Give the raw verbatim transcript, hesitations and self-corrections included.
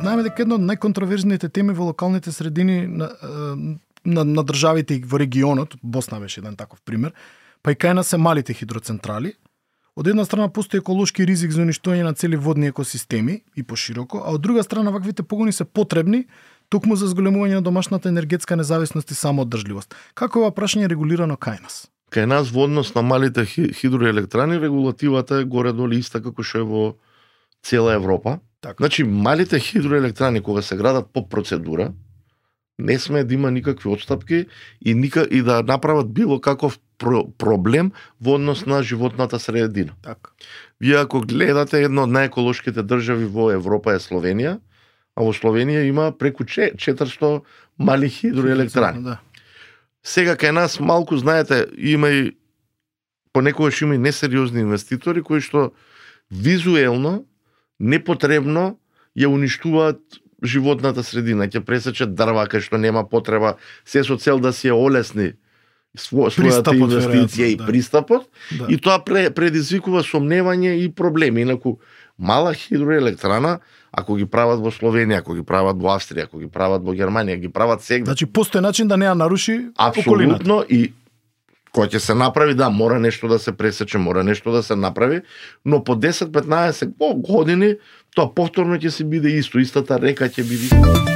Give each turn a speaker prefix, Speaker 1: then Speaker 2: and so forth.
Speaker 1: Знаеме дека една од најконтроверзните теми во локалните средини на, на, на државите и во регионот, Босна беше еден таков пример, па и кај нас се малите хидроцентрали. Од една страна постои еколошки ризик за уништување на цели водни екосистеми и пошироко, а од друга страна ваквите погони се потребни токму за зголемување на домашната енергетска независност и самоодржливост. Како е ова прашање регулирано кај нас?
Speaker 2: Кај нас во однос на малите хидроелектрани регулативата е горе-долу иста како што е во цела Европа.
Speaker 1: Така.
Speaker 2: Значи малите хидроелектрани кога се градат по процедура, не сме да има никакви отстапки и ника и да направат било каков про- проблем во однос на животната средина.
Speaker 1: Така.
Speaker 2: Вие ако гледате една од најеколошките држави во Европа е Словенија, а во Словенија има преку четиристо мали хидроелектрани.
Speaker 1: Да.
Speaker 2: Сега кај нас малку, знаете, има и понекогаш има и несериозни инвеститори кои што визуелно непотребно ја уништуваат животната средина, ќе пресечат дрва кај што нема потреба, се со цел да си ја олесни сво, својата инвестиција и
Speaker 1: да.
Speaker 2: пристапот,
Speaker 1: Да.
Speaker 2: и тоа предизвикува сомневање и проблеми. Инаку мала хидроелектрана, ако ги прават во Словенија, ако ги прават во Австрија, ако ги прават во Германија, ги прават сега.
Speaker 1: Значи постои начин да не ја наруши
Speaker 2: апсолутно
Speaker 1: околината.
Speaker 2: И кој ќе се направи, да, мора нешто да се пресече, мора нешто да се направи, но по десет петнаесет години тоа повторно ќе се биде исто, истата река ќе биде.